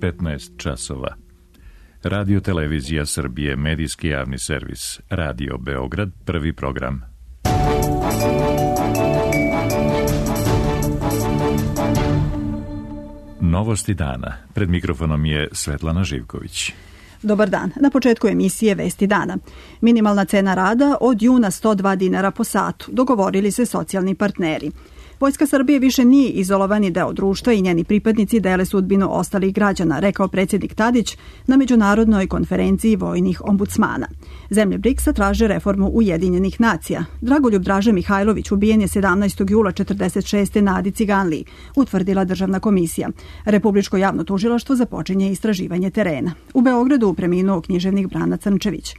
15 časova. Radio Televizija Srbije, medijski javni servis, Radio Beograd, prvi program. Novosti dana. Pred mikrofonom je Svetlana Živković. Dobar dan. Na početku emisije Vesti dana. Minimalna cena rada od juna 102 dinara po satu. Dogovorili se socijalni partneri. Vojska Srbije više nije izolovani deo društva i njeni pripadnici dele sudbinu ostalih građana, rekao predsjednik Tadić na međunarodnoj konferenciji vojnih ombudsmana. Zemlje BRICS-a traže reformu Ujedinjenih nacija. Dragoljub Draže Mihajlović ubijen je 17. jula 1946. na Adi Ciganliji, utvrdila državna komisija. Republičko javno tužilaštvo započinje istraživanje terena. U Beogradu preminuo književnik Brana Crnčević.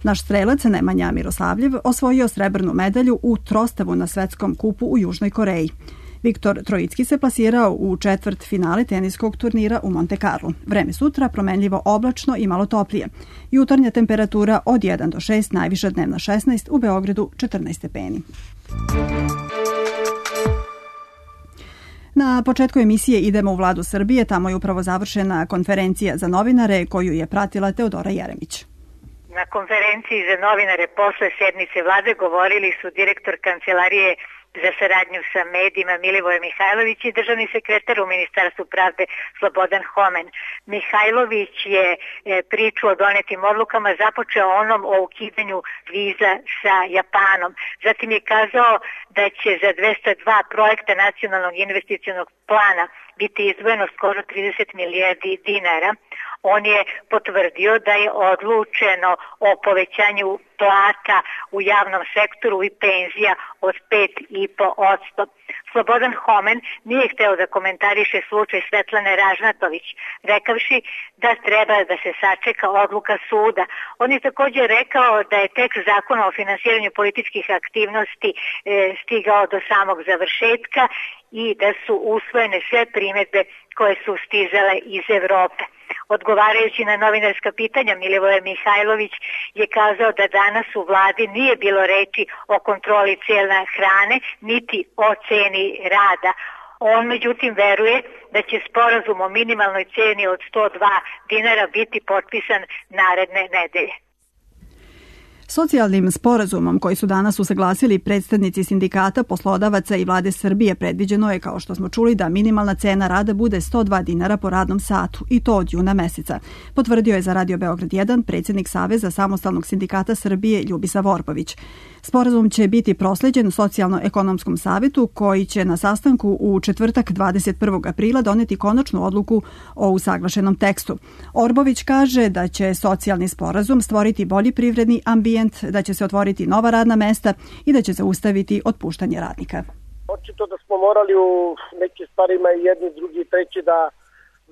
Naš strelac Nemanja Miroslavljev osvojio srebrnu medalju u trostavu na svetskom kupu u Južnoj Koreji. Viktor Trojicki se plasirao u četvrt finale teniskog turnira u Monte Carlo. Vreme sutra promenljivo oblačno i malo toplije. Jutarnja temperatura od 1 do 6, najviša dnevna 16, u Beogradu 14 stepeni. Na početku emisije idemo u Vladu Srbije, tamo je upravo završena konferencija za novinare koju je pratila Teodora Jeremić. Na konferenciji za novinare posle sednice vlade govorili su direktor Kancelarije za saradnju sa medijima Milivoje Mihajlović i državni sekretar u Ministarstvu pravde Slobodan Homen. Mihajlović je priču o donetim odlukama započeo onom o ukidanju viza sa Japanom. Zatim je kazao da će za 202 projekta nacionalnog investicionog plana biti izdvojeno skoro 30 milijardi dinara. On je potvrdio da je odlučeno o povećanju plata u javnom sektoru i penzija od 5,5%. Slobodan Homen nije hteo da komentariše slučaj Svetlane Ražnatović, rekavši da treba da se sačeka odluka suda. On je također rekao da je tekst zakona o finansiranju političkih aktivnosti stigao do samog završetka i da su usvojene sve primjedbe koje su stizale iz Evrope. Odgovarajući na novinarska pitanja, Milivoje Mihajlović je kazao da danas u vladi nije bilo reči o kontroli cijena hrane, niti o ceni rada. On međutim veruje da će sporazum o minimalnoj ceni od 102 dinara biti potpisan naredne nedelje. Socijalnim sporazumom koji su danas usaglasili predstavnici sindikata, poslodavaca i vlade Srbije predviđeno je, kao što smo čuli, da minimalna cena rada bude 102 dinara po radnom satu i to od juna meseca. Potvrdio je za Radio Beograd 1 predsjednik Saveza samostalnog sindikata Srbije Ljubisa Vorbović. Sporazum će biti prosleđen Socijalno-ekonomskom savetu koji će na sastanku u četvrtak 21. aprila doneti konačnu odluku o usaglašenom tekstu. Orbović kaže da će socijalni sporazum stvoriti bolji privredni ambijent, da će se otvoriti nova radna mesta i da će zaustaviti otpuštanje radnika. Očito da smo morali u nekim stvarima i jedni, drugi i treći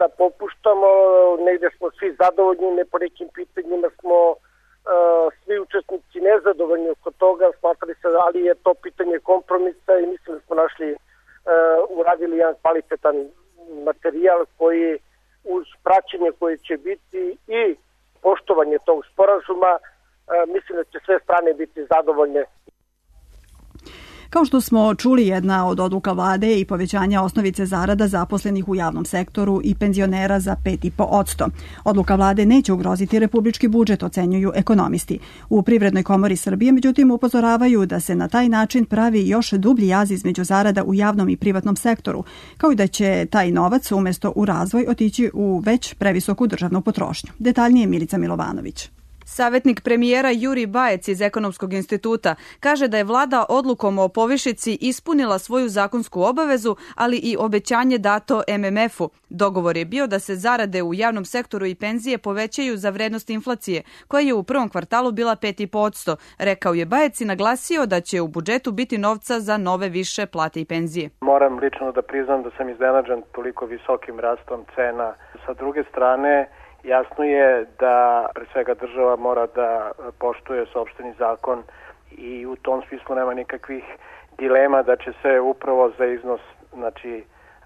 da popuštamo, negdje smo svi zadovoljni, ne po nekim pitanjima smo svi učesnici nezadovoljni oko toga, smatrali se, ali je to pitanje kompromisa i mislim da smo uradili jedan kvalitetan materijal koji uz praćenje koje će biti i poštovanje tog sporazuma, mislim da će sve strane biti zadovoljne. Kao što smo čuli, jedna od odluka vlade je i povećanja osnovice zarada zaposlenih u javnom sektoru i penzionera za 5,5%. Odluka vlade neće ugroziti republički budžet, ocenjuju ekonomisti. U Privrednoj komori Srbije, međutim, upozoravaju da se na taj način pravi još dublji jaz između zarada u javnom i privatnom sektoru, kao i da će taj novac umjesto u razvoj otići u već previsoku državnu potrošnju. Detaljnije Milica Milovanović. Savjetnik premijera Jurij Bajec iz Ekonomskog instituta kaže da je vlada odlukom o povišici ispunila svoju zakonsku obavezu, ali i obećanje dato MMF-u. Dogovor je bio da se zarade u javnom sektoru i penzije povećaju za vrednost inflacije, koja je u prvom kvartalu bila 5,5%. Rekao je Bajec i naglasio da će u budžetu biti novca za nove više plate i penzije. Moram lično da priznam da sam iznenađen toliko visokim rastom cena. Sa druge strane, jasno je da pre svega država mora da poštuje sopstveni zakon i u tom smislu nema nikakvih dilema da će se upravo za iznos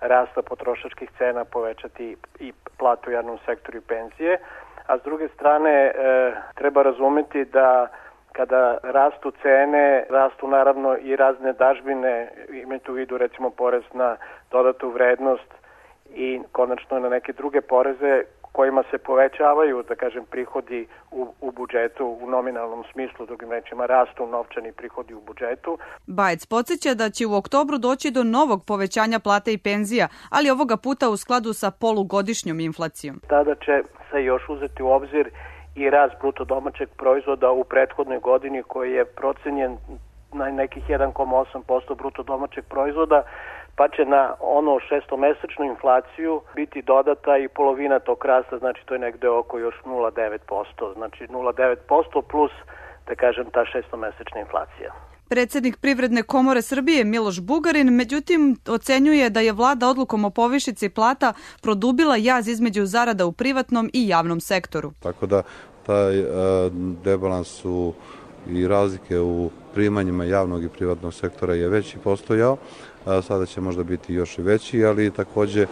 rasta potrošačkih cena povećati i platu u javnom sektoru i penzije. A s druge strane treba razumeti da kada rastu cene, rastu naravno i razne dažbine, imajte u vidu recimo porez na dodatu vrednost i konačno na neke druge poreze kojima se povećavaju, da kažem, prihodi u budžetu u nominalnom smislu, drugim rečima rastu novčani prihodi u budžetu. Bajec podsjeća da će u oktobru doći do novog povećanja plata i penzija, ali ovoga puta u skladu sa polugodišnjom inflacijom. Tada će se još uzeti u obzir i rast bruto domaćeg proizvoda u prethodnoj godini koji je procenjen na nekih 1,8% bruto domaćeg proizvoda, pa će na ono šestomesečnu inflaciju biti dodata i polovina tog rasta, znači to je negde oko još 0,9%, znači 0,9% plus, da kažem, ta šestomesečna inflacija. Predsjednik Privredne komore Srbije Miloš Bugarin, međutim, ocenjuje da je vlada odlukom o povišici plata produbila jaz između zarada u privatnom i javnom sektoru. Tako da taj rebalans i razlike u primanjima javnog i privatnog sektora je već i postojao, sada će možda biti još i veći, ali takođe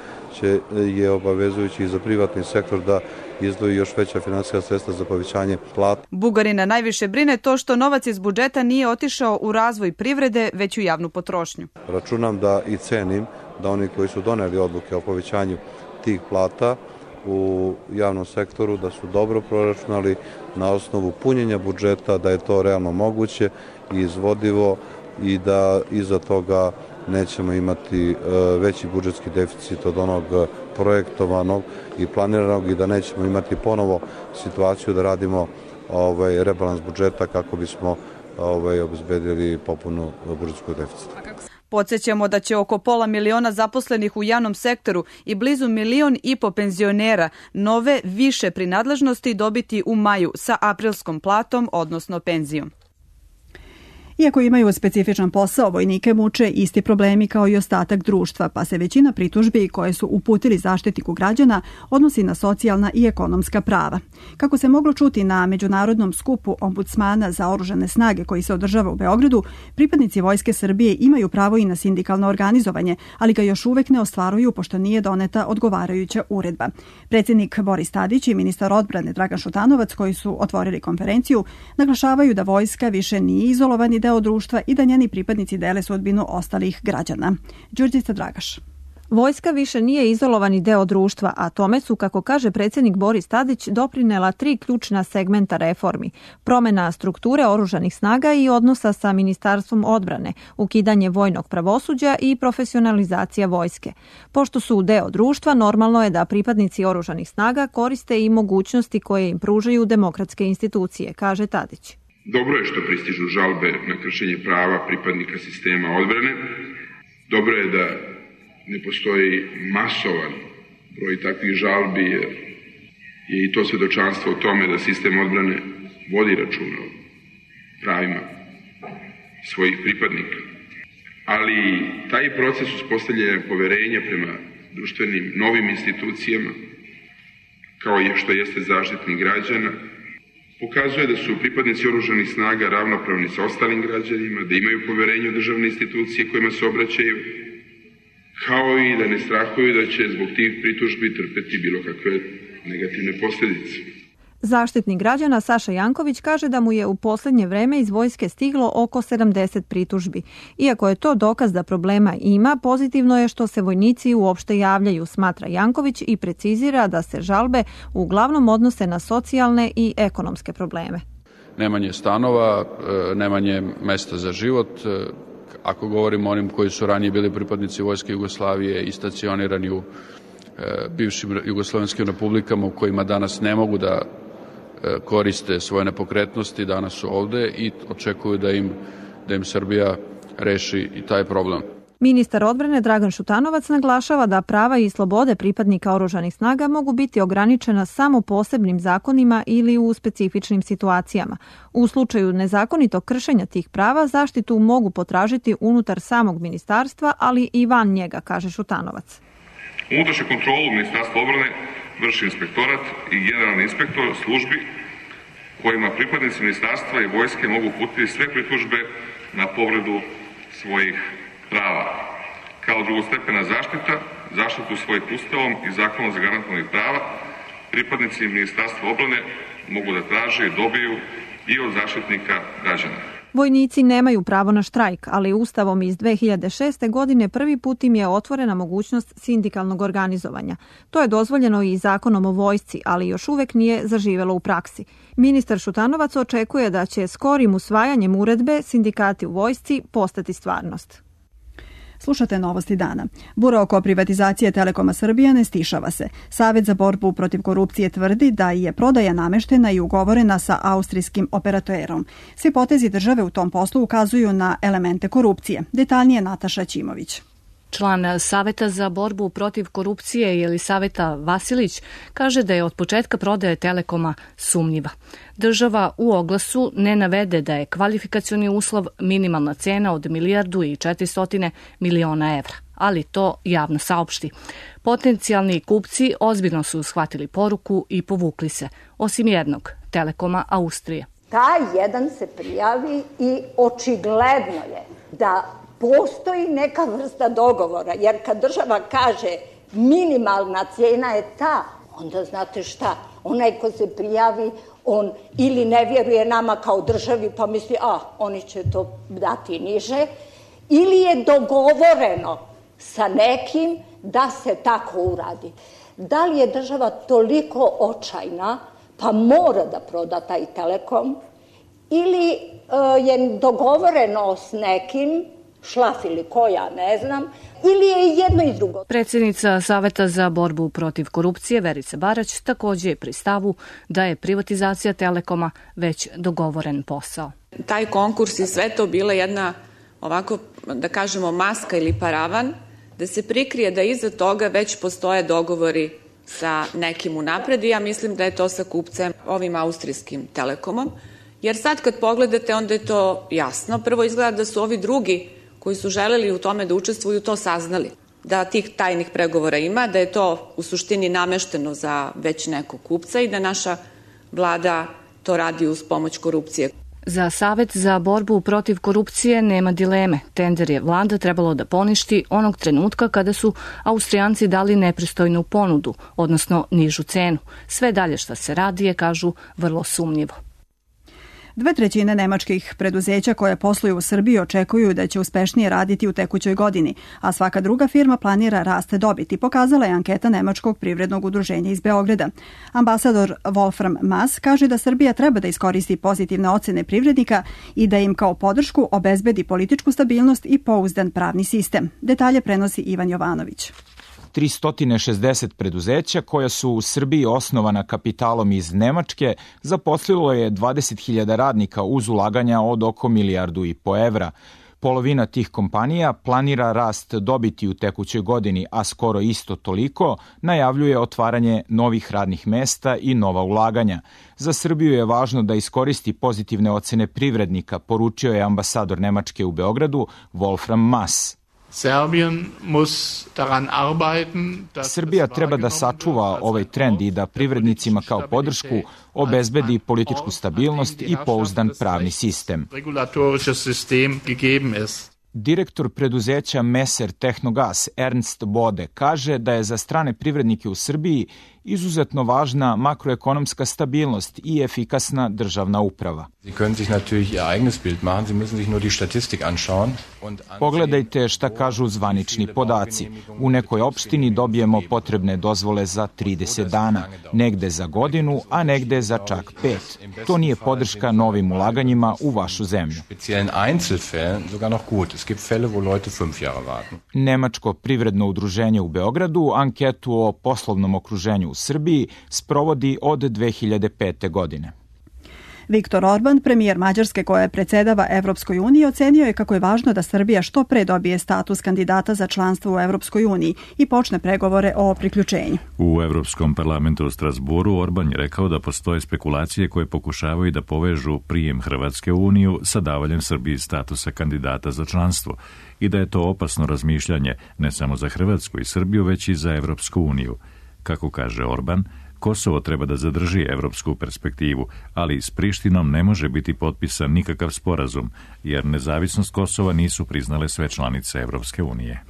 je obavezujući i za privatni sektor da izdvoji još veća finansijska sredstva za povećanje plata. Bugarina najviše brine to što novac iz budžeta nije otišao u razvoj privrede, već u javnu potrošnju. Računam da i cenim da oni koji su doneli odluke o povećanju tih plata u javnom sektoru, da su dobro proračunali na osnovu punjenja budžeta, da je to realno moguće i izvodivo i da iza toga nećemo imati veći budžetski deficit od onog projektovanog i planiranog i da nećemo imati ponovo situaciju da radimo rebalans budžeta kako bismo obezbedili popunu budžetskog deficita. Podsjećamo da će oko 500.000 zaposlenih u javnom sektoru i blizu 1,5 miliona penzionera nove više prinadležnosti dobiti u maju sa aprilskom platom, odnosno penzijom. Iako imaju specifičan posao, vojnike muče isti problemi kao i ostatak društva, pa se većina pritužbi koje su uputili Zaštitniku građana odnosi na socijalna i ekonomska prava. Kako se moglo čuti na međunarodnom skupu ombudsmana za oružane snage koji se održava u Beogradu, pripadnici Vojske Srbije imaju pravo i na sindikalno organizovanje, ali ga još uvek ne ostvaruju pošto nije doneta odgovarajuća uredba. Predsjednik Boris Tadić i ministar odbrane Dragan Šutanovac, koji su otvorili konferenciju, naglašavaju da vojska više nije izolovani deo društva i da njeni pripadnici dele sudbinu ostalih građana. Đurđica Dragaš. Vojska više nije izolovani deo društva, a tome su, kako kaže predsjednik Boris Tadić, doprinela 3 ključna segmenta reformi. Promjena strukture oružanih snaga i odnosa sa Ministarstvom odbrane, ukidanje vojnog pravosuđa i profesionalizacija vojske. Pošto su deo društva, normalno je da pripadnici oružanih snaga koriste i mogućnosti koje im pružaju demokratske institucije, kaže Tadić. Dobro je što pristižu žalbe na kršenje prava pripadnika sistema odbrane. Dobro je da ne postoji masovan broj takvih žalbi, jer je i to svedočanstvo o tome da sistem odbrane vodi računa o pravima svojih pripadnika. Ali taj proces uspostavljanja poverenja prema društvenim novim institucijama, kao i što jeste Zaštitnik građana, pokazuje da su pripadnici oružanih snaga ravnopravni sa ostalim građanima, da imaju poverenje u državne institucije kojima se obraćaju, kao i da ne strahuju da će zbog tih pritužbi trpeti bilo kakve negativne posljedice. Zaštitnik građana Saša Janković kaže da mu je u posljednje vreme iz vojske stiglo oko 70 pritužbi. Iako je to dokaz da problema ima, pozitivno je što se vojnici uopšte javljaju, smatra Janković i precizira da se žalbe uglavnom odnose na socijalne i ekonomske probleme. Nemanje stanova, nemanje mesta za život. Ako govorimo o onim koji su ranije bili pripadnici Vojske Jugoslavije i stacionirani u bivšim jugoslovenskim republikama u kojima danas ne mogu da koriste svoje nepokretnosti, danas su ovde i očekuju da im Srbija reši i taj problem. Ministar odbrane Dragan Šutanovac naglašava da prava i slobode pripadnika oružanih snaga mogu biti ograničena samo posebnim zakonima ili u specifičnim situacijama. U slučaju nezakonitog kršenja tih prava zaštitu mogu potražiti unutar samog ministarstva, ali i van njega, kaže Šutanovac. Unutrašnju kontrolu Ministarstva odbrane vrši inspektorat i generalni inspektor službi kojima pripadnici ministarstva i vojske mogu uputiti sve pritužbe na povredu svojih prava. Kao drugostepena zaštitu svojih ustavom i zakonom zagarantovanih prava, pripadnici Ministarstva odbrane mogu da traže i dobiju i od Zaštitnika građana. Vojnici nemaju pravo na štrajk, ali Ustavom iz 2006. godine prvi put im je otvorena mogućnost sindikalnog organizovanja. To je dozvoljeno i zakonom o vojsci, ali još uvek nije zaživelo u praksi. Ministar Šutanovac očekuje da će skorim usvajanjem uredbe sindikati u vojsci postati stvarnost. Slušate Novosti dana. Bura oko privatizacije Telekoma Srbija ne stišava se. Savet za borbu protiv korupcije tvrdi da je prodaja nameštena i ugovorena sa austrijskim operaterom. Svi potezi države u tom poslu ukazuju na elemente korupcije. Detaljnije Nataša Ćimović. Član Saveta za borbu protiv korupcije Jelisaveta Vasilić kaže da je od početka prodaje Telekoma sumnjiva. Država u oglasu ne navede da je kvalifikacioni uslov minimalna cena od 1.400 miliona evra, ali to javno saopšti. Potencijalni kupci ozbiljno su shvatili poruku i povukli se, osim jednog, Telekoma Austrije. Taj jedan se prijavi i očigledno je da postoji neka vrsta dogovora, jer kad država kaže minimalna cena je ta, onda znate šta, onaj ko se prijavi, on ili ne vjeruje nama kao državi pa misli, oni će to dati niže, ili je dogovoreno sa nekim da se tako uradi. Da li je država toliko očajna pa mora da proda taj Telekom, ili je dogovoreno s nekim šlaf ili koja, ne znam, ili je i jedno i drugo. Predsjednica Saveta za borbu protiv korupcije Verica Barać također je pri stavu da je privatizacija Telekoma već dogovoren posao. Taj konkurs je sve to bila jedna, ovako da kažemo, maska ili paravan, da se prikrije da iza toga već postoje dogovori sa nekim unapred i ja mislim da je to sa kupcem, ovim austrijskim Telekomom, jer sad kad pogledate onda je to jasno. Prvo izgleda da su ovi drugi koji su želeli u tome da učestvuju to saznali, da tih tajnih pregovora ima, da je to u suštini namešteno za već nekog kupca i da naša vlada to radi uz pomoć korupcije. Za Savet za borbu protiv korupcije nema dileme. Tender je vlada trebalo da poništi onog trenutka kada su Austrijanci dali nepristojnu ponudu, odnosno nižu cenu. Sve dalje šta se radi je, kažu, vrlo sumnjivo. 2/3 nemačkih preduzeća koje posluju u Srbiji očekuju da će uspešnije raditi u tekućoj godini, a svaka druga firma planira rast dobiti, pokazala je anketa Nemačkog privrednog udruženja iz Beograda. Ambasador Wolfram Maass kaže da Srbija treba da iskoristi pozitivne ocene privrednika i da im kao podršku obezbedi političku stabilnost i pouzdan pravni sistem. Detalje prenosi Ivan Jovanović. 360 preduzeća koja su u Srbiji osnovana kapitalom iz Nemačke zaposlilo je 20.000 radnika uz ulaganja od oko 1,5 milijardu evra. Polovina tih kompanija planira rast dobiti u tekućoj godini, a skoro isto toliko najavljuje otvaranje novih radnih mesta i nova ulaganja. Za Srbiju je važno da iskoristi pozitivne ocene privrednika, poručio je ambasador Nemačke u Beogradu Wolfram Maass. Srbija treba da sačuva ovaj trend i da privrednicima kao podršku obezbedi političku stabilnost i pouzdan pravni sistem. Direktor preduzeća Messer Tehnogas Ernst Bode kaže da je za strane privrednike u Srbiji izuzetno važna makroekonomska stabilnost i efikasna državna uprava. Pogledajte šta kažu zvanični podaci. U nekoj opštini dobijemo potrebne dozvole za 30 dana, negde za godinu, a negde za čak 5. To nije podrška novim ulaganjima u vašu zemlju. Nemačko privredno udruženje u Beogradu anketu o poslovnom okruženju u Srbiji sprovodi od 2005. godine. Viktor Orban, premijer Mađarske koja predsjedava Evropskoj uniji, ocenio je kako je važno da Srbija što pre dobije status kandidata za članstvo u Evropskoj uniji i počne pregovore o priključenju. U Evropskom parlamentu u Strasburu Orban je rekao da postoje spekulacije koje pokušavaju da povežu prijem Hrvatske u Uniju sa davanjem Srbiji statusa kandidata za članstvo i da je to opasno razmišljanje ne samo za Hrvatsku i Srbiju, već i za Evropsku uniju. Kako kaže Orban, Kosovo treba da zadrži evropsku perspektivu, ali s Prištinom ne može biti potpisan nikakav sporazum, jer nezavisnost Kosova nisu priznale sve članice Evropske unije.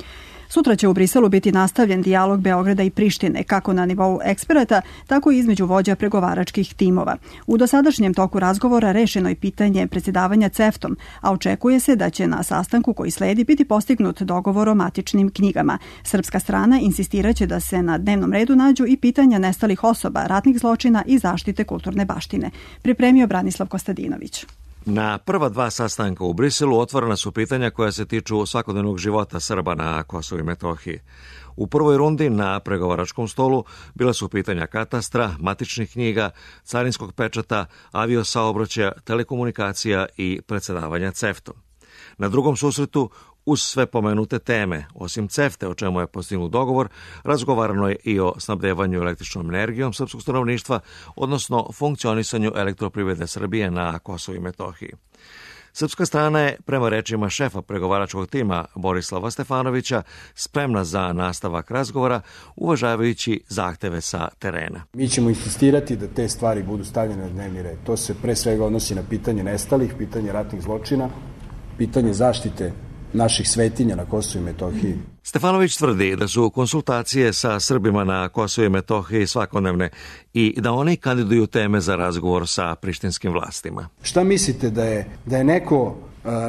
Sutra će u Briselu biti nastavljen dijalog Beograda i Prištine, kako na nivou eksperata, tako i između vođa pregovaračkih timova. U dosadašnjem toku razgovora rešeno je pitanje predsjedavanja CEFTA-om, a očekuje se da će na sastanku koji sledi biti postignut dogovor o matičnim knjigama. Srpska strana insistiraće da se na dnevnom redu nađu i pitanja nestalih osoba, ratnih zločina i zaštite kulturne baštine. Pripremio Branislav Kostadinović. Na prva dva sastanka u Briselu otvorena su pitanja koja se tiču svakodnevnog života Srba na Kosovu i Metohiji. U prvoj rundi na pregovaračkom stolu bila su pitanja katastra, matičnih knjiga, carinskog pečata, aviosaobraćaja, telekomunikacija i predsjedavanja CEFTA-om. Na drugom susretu, uz sve pomenute teme, osim CEFTA, o čemu je postignut dogovor, razgovarano je i o snabdevanju električnom energijom srpskog stanovništva, odnosno funkcionisanju elektroprivrede Srbije na Kosovu i Metohiji. Srpska strana je, prema rečima šefa pregovaračkog tima Borislava Stefanovića, spremna za nastavak razgovora, uvažavajući zahteve sa terena. Mi ćemo insistirati da te stvari budu stavljene na dnevni red. To se pre svega odnosi na pitanje nestalih, pitanje ratnih zločina, pitanje zaštite naših svetinja na Kosovu i Metohiji. Stefanović tvrdi da su konsultacije sa Srbima na Kosovu i Metohiji svakodnevne i da oni kandiduju teme za razgovor sa prištinskim vlastima. Šta mislite da je neko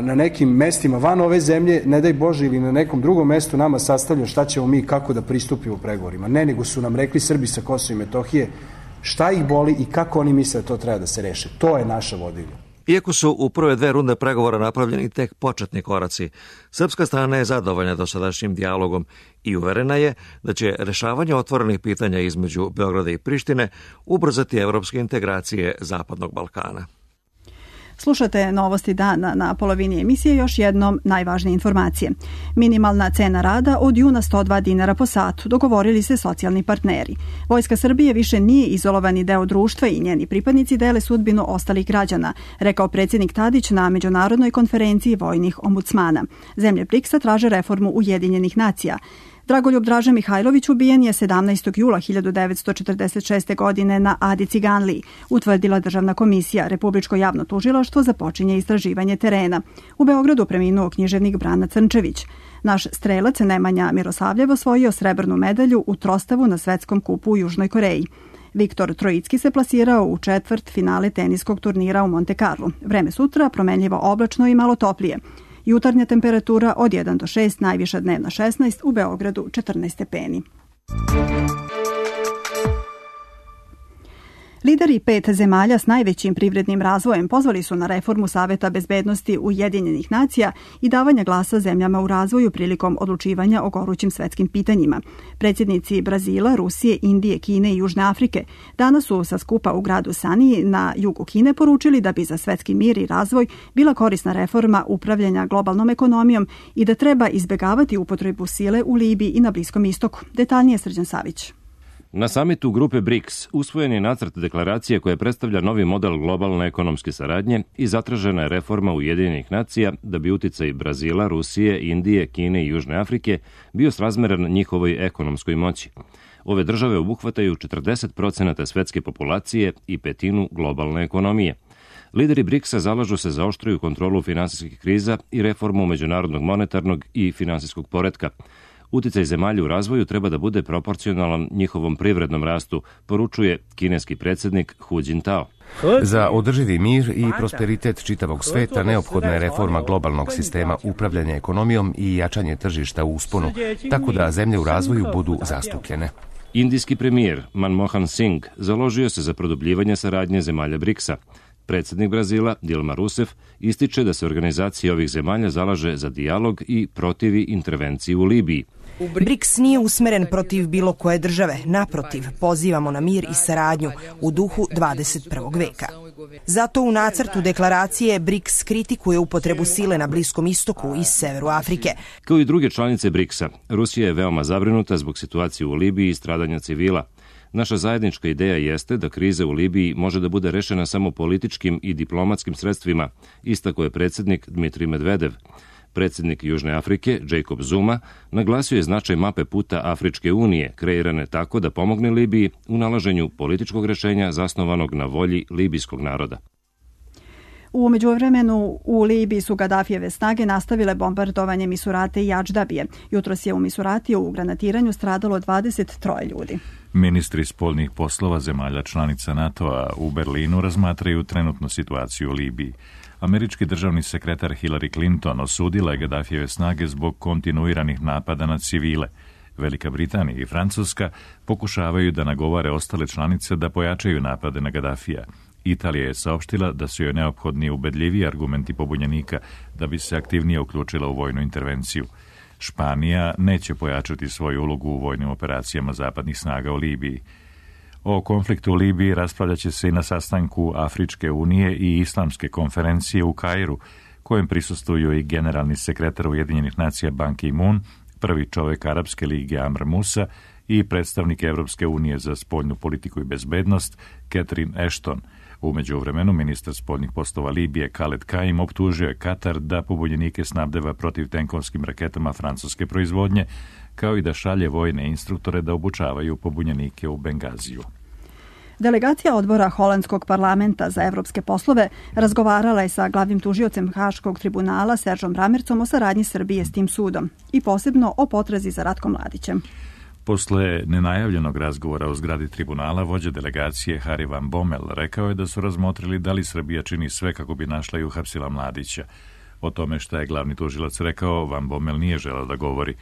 na nekim mestima van ove zemlje, ne daj Bože, ili na nekom drugom mestu nama sastavljao šta ćemo mi kako da pristupimo pregovorima? Ne, nego su nam rekli Srbi sa Kosova i Metohije šta ih boli i kako oni misle da to treba da se reše. To je naša vodilja. Iako su u prve dve runde pregovora napravljeni tek početni koraci, srpska strana je zadovoljna dosadašnjim dijalogom i uverena je da će rešavanje otvorenih pitanja između Beograda i Prištine ubrzati evropske integracije Zapadnog Balkana. Slušate Novosti dana. Na polovini emisije još jednom najvažnije informacije. Minimalna cena rada od juna 102 dinara po satu, dogovorili se socijalni partneri. Vojska Srbije više nije izolovani deo društva i njeni pripadnici dele sudbinu ostalih građana, rekao predsjednik Tadić na Međunarodnoj konferenciji vojnih ombudsmana. Zemlje BRICS-a traže reformu Ujedinjenih nacija. Dragoljub Draža Mihajlović ubijen je 17. jula 1946. godine na Adi Ciganliji, utvrdila Državna komisija. Republičko javno tužilaštvo započinje istraživanje terena. U Beogradu preminuo književnik Brana Crnčević. Naš strelac Nemanja Mirosavljev osvojio srebrnu medalju u trostavu na svetskom kupu u Južnoj Koreji. Viktor Trojicki se plasirao u četvrt finale teniskog turnira u Monte Carlo. Vreme sutra promenljivo oblačno i malo toplije. Jutarnja temperatura od 1 do 6, najviša dnevna 16, u Beogradu 14 stepeni. Lideri 5 zemalja s najvećim privrednim razvojem pozvali su na reformu Saveta bezbednosti Ujedinjenih nacija i davanja glasa zemljama u razvoju prilikom odlučivanja o gorućim svetskim pitanjima. Predsjednici Brazila, Rusije, Indije, Kine i Južne Afrike danas su sa skupa u gradu Saniji na jugu Kine poručili da bi za svetski mir i razvoj bila korisna reforma upravljanja globalnom ekonomijom i da treba izbjegavati upotrebu sile u Libiji i na Bliskom istoku. Detaljnije Srđan Savić. Na samitu grupe BRICS usvojen je nacrt deklaracije koja predstavlja novi model globalne ekonomske saradnje i zatražena je reforma Ujedinjenih nacija da bi uticaj Brazila, Rusije, Indije, Kine i Južne Afrike bio srazmeran njihovoj ekonomskoj moći. Ove države obuhvataju 40% svetske populacije i petinu globalne ekonomije. Lideri BRICS-a zalažu se za oštriju kontrolu finansijskih kriza i reformu međunarodnog monetarnog i finansijskog poretka. Uticaj zemalja u razvoju treba da bude proporcionalan njihovom privrednom rastu, poručuje kineski predsjednik Hu Jintao. Za održivi mir i prosperitet čitavog sveta neophodna je reforma globalnog sistema upravljanja ekonomijom i jačanje tržišta u usponu, tako da zemlje u razvoju budu zastupljene. Indijski premijer Manmohan Singh založio se za produbljivanje saradnje zemalja BRICS-a. Predsjednik Brazila, Dilma Rousseff, ističe da se organizacija ovih zemalja zalaže za dijalog i protivi intervenciji u Libiji. BRICS nije usmeren protiv bilo koje države, naprotiv, pozivamo na mir i saradnju u duhu 21. veka. Zato u nacrtu deklaracije BRICS kritikuje upotrebu sile na Bliskom istoku i severu Afrike. Kao i druge članice BRICS-a, Rusija je veoma zabrinuta zbog situacije u Libiji i stradanja civila. Naša zajednička ideja jeste da kriza u Libiji može da bude rešena samo političkim i diplomatskim sredstvima, istakao je predsjednik Dmitrij Medvedev. Predsjednik Južne Afrike, Jacob Zuma, naglasio je značaj mape puta Afričke unije, kreirane tako da pomogne Libiji u nalaženju političkog rešenja zasnovanog na volji libijskog naroda. U međuvremenu u Libiji su Gadafijeve snage nastavile bombardovanje Misurate i Adždabije. Jutros je u Misuratiju u granatiranju stradalo 23 ljudi. Ministri spoljnih poslova zemalja članica NATO-a u Berlinu razmatraju trenutnu situaciju u Libiji. Američki državni sekretar Hillary Clinton osudila je Gadafijeve snage zbog kontinuiranih napada na civile. Velika Britanija i Francuska pokušavaju da nagovore ostale članice da pojačaju napade na Gadafija. Italija je saopštila da su joj neophodni ubedljiviji argumenti pobunjenika da bi se aktivnije uključila u vojnu intervenciju. Španija neće pojačati svoju ulogu u vojnim operacijama zapadnih snaga u Libiji. O konfliktu u Libiji raspravljat će se i na sastanku Afričke unije i Islamske konferencije u Kairu, kojem prisustvuju i generalni sekretar Ujedinjenih nacija Ban Ki-moon, prvi čovjek Arapske lige Amr Musa i predstavnik Evropske unije za spoljnu politiku i bezbednost Catherine Ashton. U međuvremenu ministar spoljnih poslova Libije Khaled Kaim optužio je Katar da pobunjenike snabdeva protivtenkovskim raketama francuske proizvodnje, kao i da šalje vojne instruktore da obučavaju pobunjenike u Bengaziju. Delegacija odbora Holandskog parlamenta za evropske poslove razgovarala je sa glavnim tužiocem Haškog tribunala Seržom Bramercom o saradnji Srbije s tim sudom i posebno o potrazi za Ratkom Mladićem. Posle nenajavljenog razgovora u zgradi tribunala, vođa delegacije Harry Van Bommel rekao je da su razmotrili da li Srbija čini sve kako bi našla i uhapsila Mladića. O tome šta je glavni tužilac rekao, Van Bommel nije želeo da govori.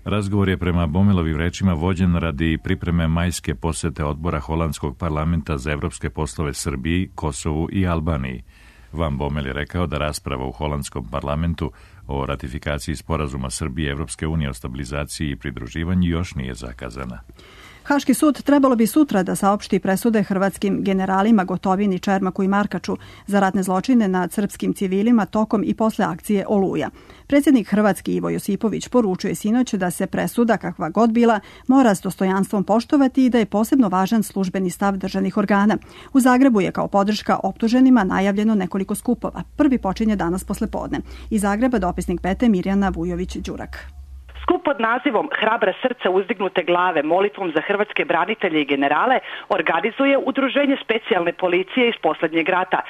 Razgovor je prema Bommelovim rečima vođen radi pripreme majske posete odbora Holandskog parlamenta za evropske poslove Srbiji, Kosovu i Albaniji. Van Bommel je rekao da rasprava u Holandskom parlamentu o ratifikaciji sporazuma Srbije i Evropske unije o stabilizaciji i pridruživanju još nije zakazana. Haški sud trebalo bi sutra da saopšti presude hrvatskim generalima Gotovini, Čermaku i Markaču za ratne zločine nad srpskim civilima tokom i posle akcije Oluja. Predsjednik Hrvatski Ivo Josipović poručuje sinoć da se presuda, kakva god bila, mora s dostojanstvom poštovati i da je posebno važan službeni stav državnih organa. U Zagrebu je kao podrška optuženima najavljeno nekoliko skupova. Prvi počinje danas poslepodne. Iz Zagreba dopisnik Pete Mirjana Vujović-Đurak. Skup pod nazivom Hrabra srca uzdignute glave molitvom za hrvatske branitelje i generale organizuje Udruženje specijalne policije iz posljednjeg rata,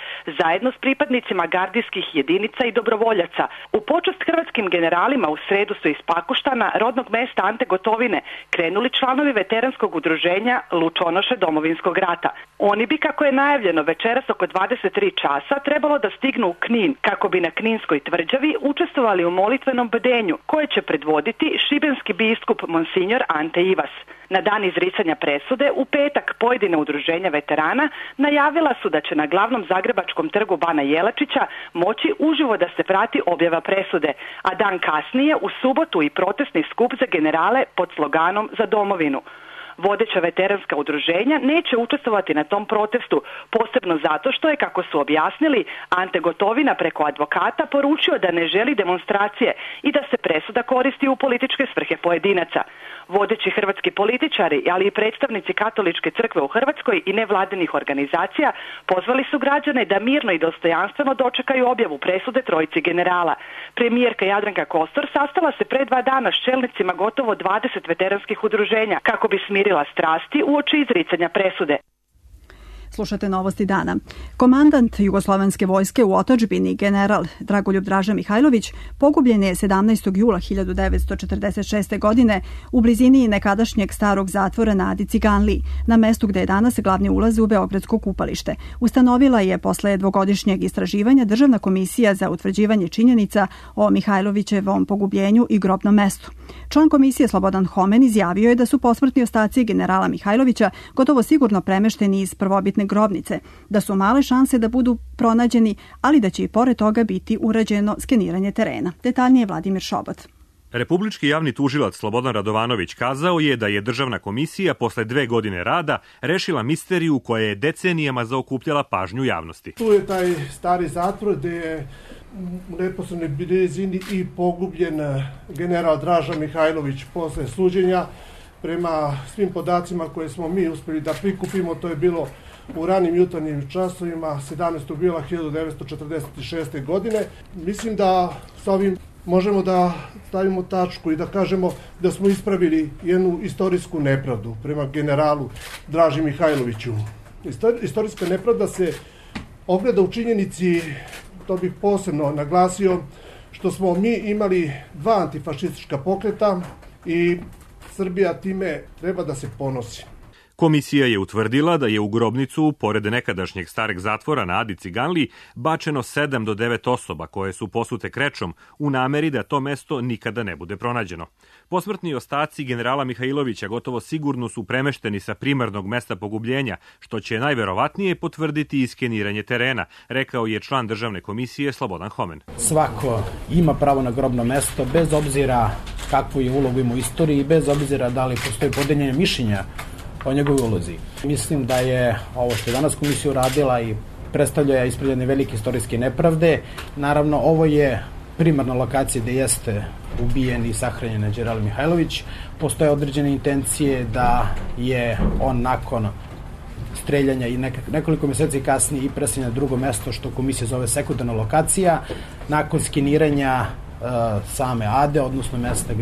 zajedno s pripadnicima gardijskih jedinica i dobrovoljaca. U počast hrvatskim generalima u sredu su iz Pakoštana, rodnog mesta Ante Gotovine, krenuli članovi veteranskog udruženja Lučonoše Domovinskog rata. Oni bi, kako je najavljeno večeras oko 23 časa, trebalo da stignu u Knin, kako bi na Kninskoj tvrđavi učestvovali u molitvenom bdenju, koje će predvoditi šibenski biskup Monsignor Ante Ivas. Na dan izricanja presude, u petak pojedine udruženja veterana najavila su da će na glavnom zagrebačkom trgu Bana Jelačića moći uživo da se prati objava presude, a dan kasnije u subotu i protestni skup za generale pod sloganom Za domovinu. Vodeća veteranska udruženja neće učestvovati na tom protestu, posebno zato što je, kako su objasnili, Ante Gotovina preko advokata poručio da ne želi demonstracije i da se presuda koristi u političke svrhe pojedinaca. Vodeći hrvatski političari, ali i predstavnici Katoličke crkve u Hrvatskoj i nevladinih organizacija pozvali su građane da mirno i dostojanstveno dočekaju objavu presude trojici generala. Premijerka Jadranka Kosor sastala se pre 2 dana s čelnicima gotovo 20 veteranskih udruženja kako bi smirila strasti uoči izricanja presude. Slušate novosti dana. Komandant Jugoslovenske vojske u otadžbini, general Dragoljub Draža Mihajlović, pogubljen je 17. jula 1946. godine u blizini nekadašnjeg starog zatvora na Adi Ciganliji, na mestu gde je danas glavni ulaz u Beogradsko kupalište. Ustanovila je posle dvogodišnjeg istraživanja Državna komisija za utvrđivanje činjenica o Mihajlovićevom pogubljenju i grobnom mestu. Član komisije Slobodan Homen izjavio je da su posmrtni ostaci generala Mihajlovića gotovo sigurno premešteni iz prvobitne grobnice, da su male šanse da budu pronađeni, ali da će i pored toga biti urađeno skeniranje terena. Detaljnije Vladimir Šobot. Republički javni tužilac Slobodan Radovanović kazao je da je Državna komisija posle 2 godine rada rešila misteriju koja je decenijama zaokupljala pažnju javnosti. Tu je taj stari zatvor gde je u neposrednoj blizini i pogubljen general Draža Mihajlović posle suđenja. Prema svim podacima koje smo mi uspeli da prikupimo, to je bilo u ranim jutarnjim časovima 17. jula 1946. godine. Mislim da sa ovim možemo da stavimo tačku i da kažemo da smo ispravili jednu istorijsku nepravdu prema generalu Draži Mihajloviću. Istorijska nepravda se ogleda u činjenici to bih posebno naglasio, što smo mi imali 2 antifašistička pokreta i Srbija time treba da se ponosi. Komisija je utvrdila da je u grobnicu, pored nekadašnjeg stareg zatvora na Adi Ciganliji, bačeno 7 do 9 osoba koje su posute krečom u nameri da to mesto nikada ne bude pronađeno. Posmrtni ostaci generala Mihajlovića gotovo sigurno su premešteni sa primarnog mesta pogubljenja, što će najverovatnije potvrditi iskeniranje terena, rekao je član državne komisije Slobodan Homen. Svako ima pravo na grobno mesto, bez obzira kakvu je ulogu ima u istoriji i bez obzira da li postoji podeljenje mišljenja o njegovoj ulozi. Mislim da je ovo što je danas komisija uradila i predstavlja ispred jedne velike istorijske nepravde. Naravno, ovo je primarna lokacija gde jeste ubijen i sahranjen general Mihajlović. Postoje određene intencije da je on nakon streljanja i nekoliko meseci kasnije i preseljen na drugo mesto, što komisija zove sekundarna lokacija, nakon skeniranja same Ade, odnosno mesta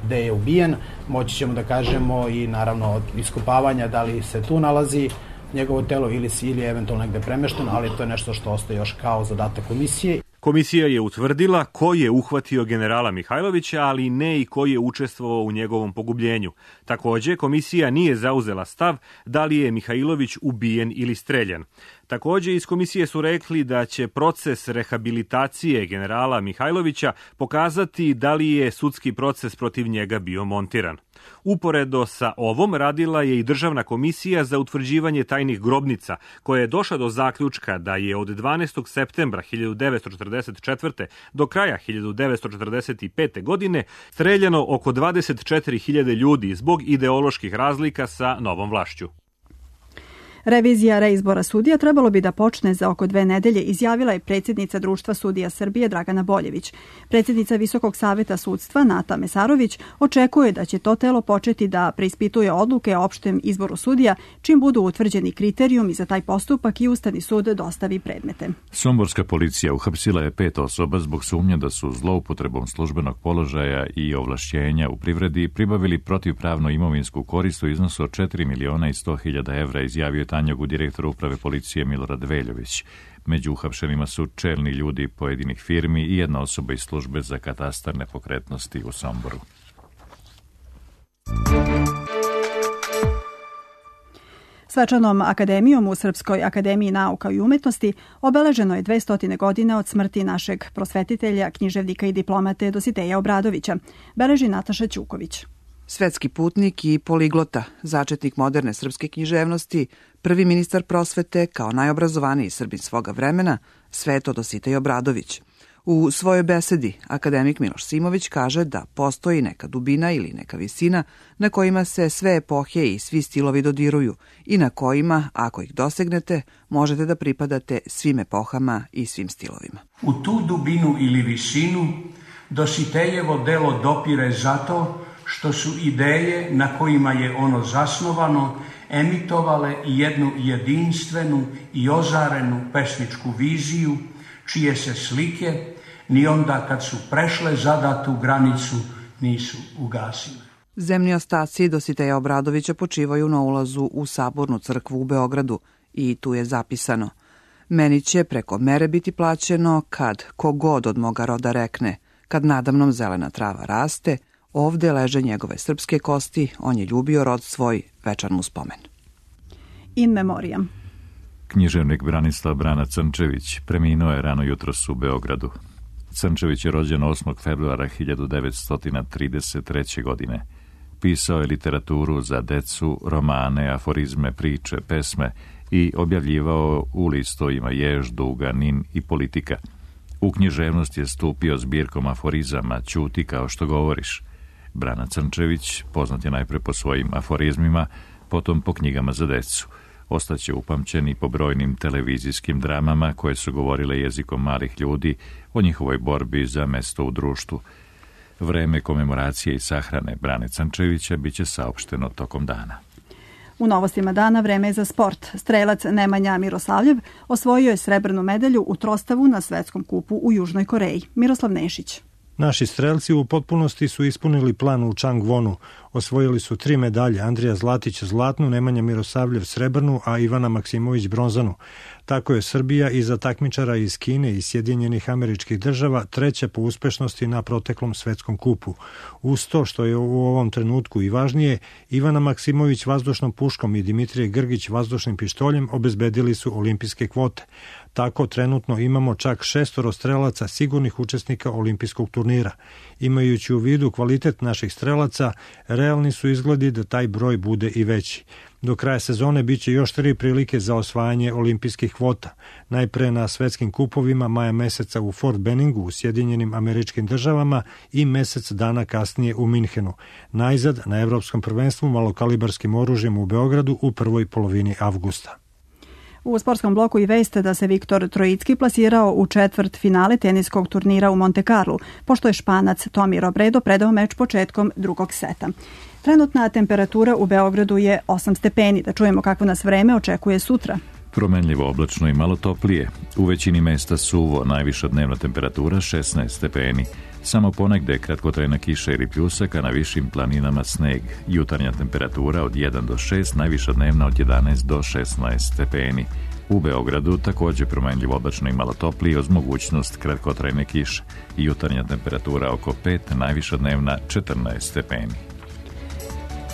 gde je ubijen, moći ćemo da kažemo i naravno od iskopavanja da li se tu nalazi njegovo telo ili je eventualno negde premešteno, ali to je nešto što ostaje još kao zadatak komisije. Komisija je utvrdila ko je uhvatio generala Mihajlovića, ali ne i ko je učestvovao u njegovom pogubljenju. Takođe, komisija nije zauzela stav da li je Mihajlović ubijen ili streljan. Takođe, iz komisije su rekli da će proces rehabilitacije generala Mihajlovića pokazati da li je sudski proces protiv njega bio montiran. Uporedo sa ovom radila je i Državna komisija za utvrđivanje tajnih grobnica, koja je došla do zaključka da je od 12. septembra 1944. do kraja 1945. godine streljano oko 24.000 ljudi zbog ideoloških razlika sa novom vlašću. Revizija reizbora sudija trebalo bi da počne za oko 2 nedelje, izjavila je predsjednica Društva sudija Srbije Dragana Boljević. Predsjednica Visokog saveta sudstva Nata Mesarović očekuje da će to telo početi da preispituje odluke o opštem izboru sudija, čim budu utvrđeni kriterijumi za taj postupak i Ustavni sud dostavi predmete. Somborska policija uhapsila je 5 osoba zbog sumnje da su zloupotrebom službenog položaja i ovlašćenja u privredi pribavili protivpravno imovinsku korist u iznosu od 4.100.000 evra, izjavio Tanjogu direktor uprave policije Milorad Veljović. Među uhapšenima su čelni ljudi pojedinih firmi i jedna osoba iz službe za katastar nepokretnosti u Somboru. Svečanom akademijom u Srpskoj akademiji nauka i umetnosti obeleženo je 200 godina od smrti našeg prosvetitelja, književnika i diplomate Dositeja Obradovića, beleži Nataša Ćuković. Svetski putnik i poliglota, začetnik moderne srpske književnosti, prvi ministar prosvete kao najobrazovaniji Srbin svoga vremena, Sveto Dositej Obradović. U svojoj besedi akademik Miloš Simović kaže da postoji neka dubina ili neka visina na kojima se sve epohe i svi stilovi dodiruju i na kojima, ako ih dosegnete, možete da pripadate svim epohama i svim stilovima. U tu dubinu ili visinu Dositejevo delo dopire zato što su ideje na kojima je ono zasnovano emitovale jednu jedinstvenu i ozarenu pesničku viziju, čije se slike ni onda kad su prešle zadatu granicu nisu ugasile. Zemni ostaci Dositeja Obradovića počivaju na ulazu u Sabornu crkvu u Beogradu i tu je zapisano: meni će preko mere biti plaćeno kad kogod od moga roda rekne, kad nadamnom zelena trava raste, ovde leže njegove srpske kosti, on je ljubio rod svoj, večan mu spomen. In memoriam. Književnik Branislav Brana Crnčević preminuo je rano jutros u Beogradu. Crnčević je rođen 8. februara 1933. godine. Pisao je literaturu za decu, romane, aforizme, priče, pesme i objavljivao u listovima Jež, Duga, Nin i Politika. U književnost je stupio zbirkom aforizama Ćuti kao što govoriš. Brana Crnčević poznat je najpre po svojim aforizmima, potom po knjigama za decu. Ostaće upamćen i po brojnim televizijskim dramama koje su govorile jezikom malih ljudi o njihovoj borbi za mesto u društvu. Vreme komemoracije i sahrane Brane Crnčevića biće saopšteno tokom dana. U novostima dana vreme je za sport. Strelac Nemanja Miroslavljev osvojio je srebrnu medalju u trostavu na svetskom kupu u Južnoj Koreji. Miroslav Nešić. Naši strelci u potpunosti su ispunili plan u Changwonu. Osvojili su 3 medalje, Andrija Zlatić zlatnu, Nemanja Mirosavljev srebrnu, a Ivana Maksimović bronzanu. Tako je Srbija iza takmičara iz Kine i Sjedinjenih Američkih Država treća po uspešnosti na proteklom svetskom kupu. Uz to, što je u ovom trenutku i važnije, Ivana Maksimović vazdušnom puškom i Dimitrije Grgić vazdušnim pištoljem obezbedili su olimpijske kvote. Tako trenutno imamo čak 6 strelaca sigurnih učesnika olimpijskog turnira. Imajući u vidu kvalitet naših strelaca, realni su izgledi da taj broj bude i veći. Do kraja sezone biće još 3 prilike za osvajanje olimpijskih kvota. Najpre na svetskim kupovima maja meseca u Fort Benningu u Sjedinjenim Američkim Državama i mesec dana kasnije u Minhenu. Najzad na Evropskom prvenstvu malokalibarskim oružjem u Beogradu u prvoj polovini avgusta. U sportskom bloku i veste da se Viktor Trojicki plasirao u četvrt finale teniskog turnira u Monte Carlo, pošto je Španac Tomi Robredo predao meč početkom drugog seta. Trenutna temperatura u Beogradu je 8 stepeni. Da čujemo kako nas vreme očekuje sutra. Promenljivo oblačno i malo toplije. U većini mesta suvo, najviša dnevna temperatura 16 stepeni. Samo ponegde kratkotrajna kiša ili pljusak, a na višim planinama sneg. Jutarnja temperatura od 1 do 6, najviša dnevna od 11 do 16 stepeni. U Beogradu takođe promenljivo oblačno i malo toplije uz mogućnost kratkotrajne kiše. Jutarnja temperatura oko 5, najviša dnevna 14 stepeni.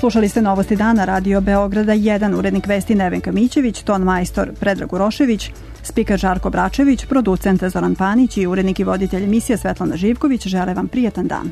Slušali ste Novosti dana Radio Beograda 1, urednik vesti Nevenka Mićević, ton majstor Predrag Urošević, spiker Žarko Bračević, producent Zoran Panić i urednik i voditelj emisije Svetlana Živković žele vam prijetan dan.